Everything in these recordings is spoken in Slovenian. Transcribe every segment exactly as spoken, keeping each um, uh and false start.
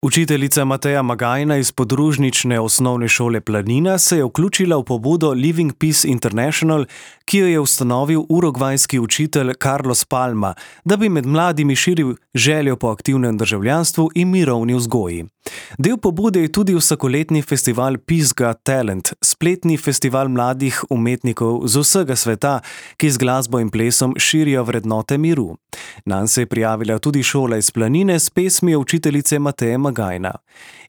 Učiteljica Mateja Magajna iz podružnične osnovne šole Planina se je vključila v pobudo Living Peace International, ki jo je ustanovil urugvajski učitelj Carlos Palma, da bi med mladimi širil željo po aktivnem državljanstvu in mirovni vzgoji. Del pobude je tudi vsakoletni festival Peace Got Talent, spletni festival mladih umetnikov z vsega sveta, ki z glasbo in plesom širijo vrednote miru. Nanj se je prijavila tudi šola iz Planine s pesmijo učiteljice Mateje Magajna.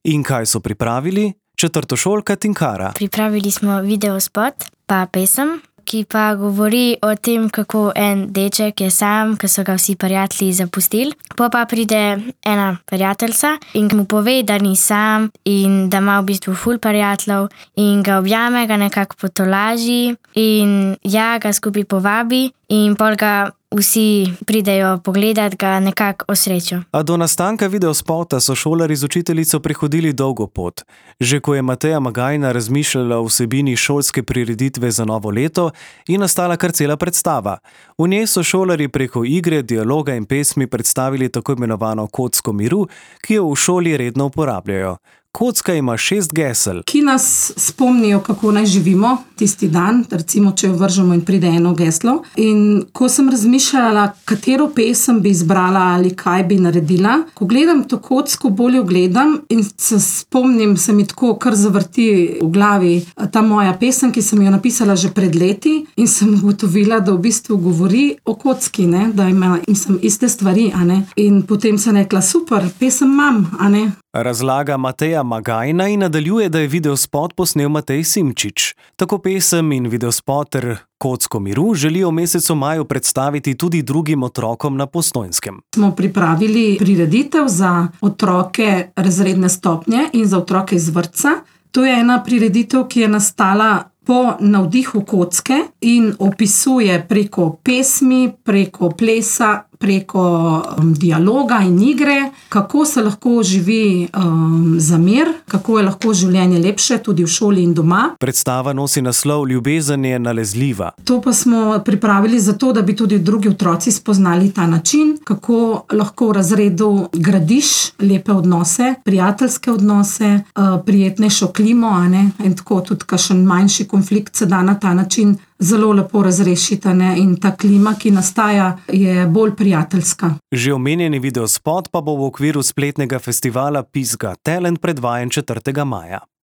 In kaj so pripravili? Četrtošolka Tinkara. Pripravili smo videospot pa pesem, ki pa govori o tem, kako en deček je sam, ko so ga vsi prijatelji zapustili. Po pa pride ena prijateljica in mu pove, da ni sam in da ima v bistvu ful prijateljev in ga objame, ga nekako potolaži in ja, ga skupaj povabi in pol ga vsi pridejo pogledat, ga nekako osrečijo. A do nastanka videospota so šolarji z učiteljico prehodili dolgo pot. Že ko je Mateja Magajna razmišljala o vsebini šolske prireditve za novo leto, je nastala kar cela predstava. V njej so šolarji preko igre, dialoga in pesmi predstavili tako imenovano kocko miru, ki jo v šoli redno uporabljajo. Kocka ima šest gesel, ki nas spomnijo, kako naj živimo tisti dan, recimo, če jo vržemo in pride eno geslo. In ko sem razmišljala, katero pesem bi izbrala ali kaj bi naredila, ko gledam to kocko, bolje gledam in se spomnim, se mi tako kar zavrti v glavi ta moja pesem, ki sem jo napisala že pred leti in sem ugotovila, da v bistvu govori o kocki, ne? Da ima mislim, iste stvari, a ne? In potem sem rekla, super, pesem imam, a ne? Razlaga Mateja Magajna in nadaljuje, da je videospot posnel Matej Simčič. Tako pesem in videospot ter kocko miru želijo v mesecu maju predstaviti tudi drugim otrokom na Postojnskem. Smo pripravili prireditev za otroke razredne stopnje in za otroke iz vrtca. To je ena prireditev, ki je nastala po navdihu kocke in opisuje preko pesmi, preko plesa, preko um, dialoga in igre, kako se lahko živi um, za mir, kako je lahko življenje lepše tudi v šoli in doma. Predstava nosi naslov Ljubezen je nalezljiva. To pa smo pripravili zato, da bi tudi drugi otroci spoznali ta način, kako lahko v razredu gradiš lepe odnose, prijateljske odnose, uh, prijetnejšo klimo, a ne? In tako tudi kakšen manjši konflikt se da na ta način zelo lepo razrešiti, ne? In ta klima, ki nastaja, je bolj prijateljska. Že omenjeni videospot pa bo v okviru spletnega festivala Peace Got Talent predvajan četrtega maja.